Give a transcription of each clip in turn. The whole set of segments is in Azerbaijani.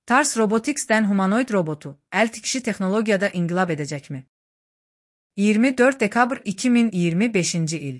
Tars Robotics'ten humanoid robotu, el tikişi texnologiyada inqilab edəcəkmi? 24 dekabr 2025 il.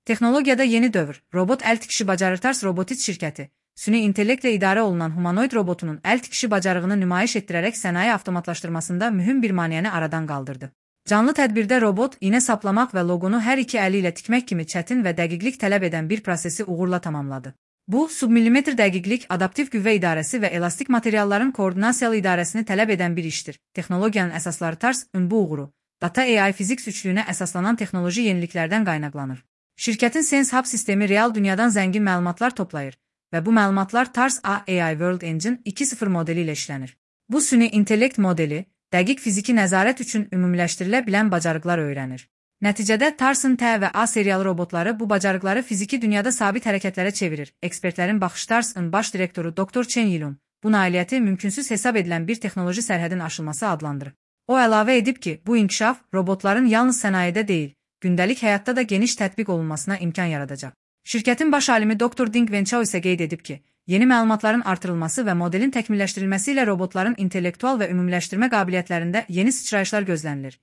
Texnologiyada yeni dövr, robot el tikişi bacarır. Tars Robotics şirkəti, süni intellektlə idarə olunan humanoid robotunun el tikişi bacarığını nümayiş etdirərək sənaye avtomatlaşdırmasında mühüm bir maneəni aradan qaldırdı. Canlı tədbirdə robot, iynə saplamaq və loqonu hər iki əli ilə tikmək kimi çətin və dəqiqlik tələb edən bir prosesi uğurla tamamladı. Bu, submillimetr dəqiqlik, adaptiv qüvvə idarəsi və elastik materialların koordinasiyalı idarəsini tələb edən bir işdir. Texnologiyanın əsasları Tars, bu uğuru, Data AI Physics üçlüyünə əsaslanan texnoloji yeniliklərdən qaynaqlanır. Şirkətin Sense Hub sistemi real dünyadan zəngin məlumatlar toplayır və bu məlumatlar Tars AI World Engine 2.0 modeli ilə işlənir. Bu süni intellekt modeli, dəqiq fiziki nəzarət üçün ümumiləşdirilə bilən bacarıqlar öyrənir. Nəticədə Tars'ın T və A seriyalı robotları bu bacarıqları fiziki dünyada sabit hərəkətlərə çevirir. Ekspertlərin baxışı Tars'ın baş direktoru Dr. Chen Yilun, bu nailiyyəti mümkünsüz hesab edilən bir texnoloji sərhədin aşılması adlandırır. O əlavə edib ki, bu inkişaf robotların yalnız sənayedə deyil, gündəlik həyatda da geniş tətbiq olunmasına imkan yaradacaq. Şirkətin baş alimi Dr. Ding Wenchao isə qeyd edib ki, yeni məlumatların artırılması və modelin təkmilləşdirilməsi ilə robotların intellektual və ümumiləşdirmə qabiliyyətlərində yeni sıçrayışlar gözlənilir.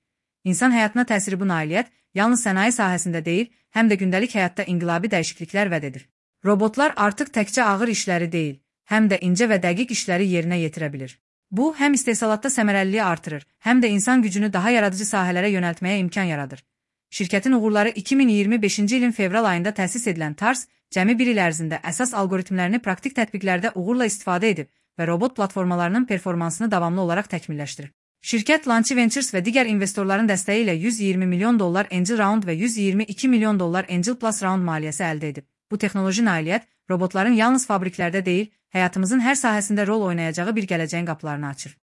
İnsan həyatına təsiri bu nailiyyət yalnız sənaye sahəsində deyil, həm də gündəlik həyatda inqilabi dəyişikliklər vəd edir. Robotlar artıq təkcə ağır işləri deyil, həm də incə və dəqiq işləri yerinə yetirə bilir. Bu, həm istehsalatda səmərəliliyi artırır, həm də insan gücünü daha yaradıcı sahələrə yönəltməyə imkan yaradır. Şirkətin uğurları 2025-ci ilin fevral ayında təsis edilən Tars, cəmi bir il ərzində əsas algoritmlərini praktik tətbiqlərdə uğurla istifadə edib və robot platformalarının performansını davamlı olaraq təkmilləşdirir. Şirkət Launch Ventures və digər investorların dəstəyi ilə $120 milyon Angel Round və $122 milyon Angel Plus Round maliyyəsi əldə edib. Bu texnoloji nailiyyət, robotların yalnız fabriklərdə deyil, həyatımızın hər sahəsində rol oynayacağı bir gələcəyin qapılarını açır.